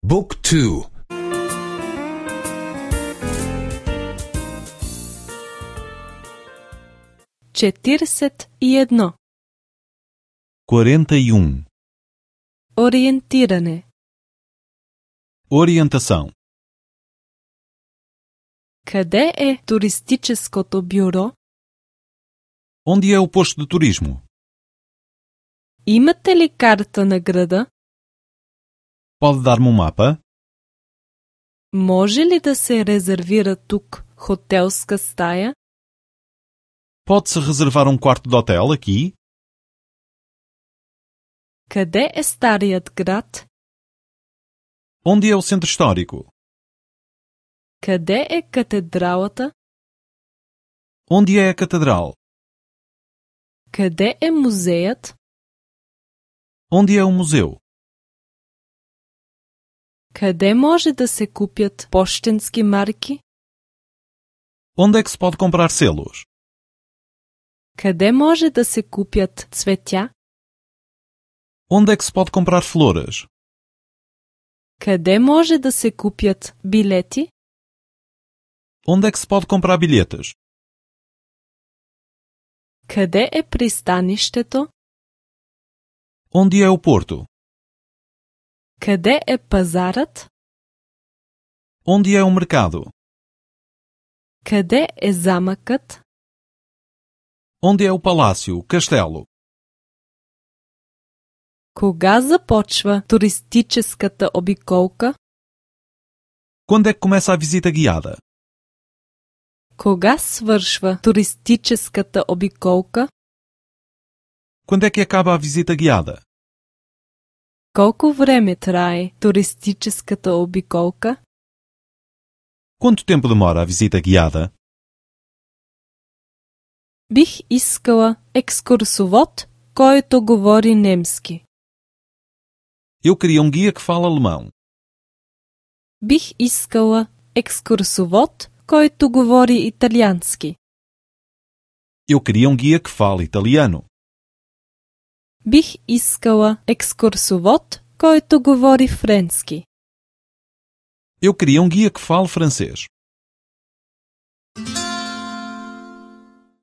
Book 2. 41. 41. Ориентиране. Orientação. Къде е туристическото бюро? Onde é o posto de turismo? Имате ли карта на града? Pode dar-me um mapa? Може ли да се резервира тук хотелска стая? Pode-se reservar um quarto de hotel aqui? Къде е старият град? Onde é o centro histórico? Къде е катедралата? Onde é a catedral? Къде е музеят? Onde é o museu? Къде може да се купят пощенски марки? Onde é que se pode comprar selos? Къде може да се купят цветя? Onde é que se pode comprar flores? Къде може да се купят билети? Onde é que se pode comprar bilhetes? Къде е пристанището? Onde é o porto? Къде е пазарът? Onde é o mercado? Къде е замъкът? Onde é o palácio, o castelo? Кога започва туристическата обиколка? Quando é que começa a visita guiada? Кога свършва туристическата обиколка? Quando é que acaba a visita guiada? Колко време трае туристическата обиколка? Quanto tempo demora a visita guiada? Бих искала екскурсовод, който говори немски. Eu queria um guia que fala alemão. Бих искала екскурсовод, който говори италиански. Eu queria um guia que fala italiano. Бих искала екскурсовод, който говори френски. Eu queria um guia que fale francês.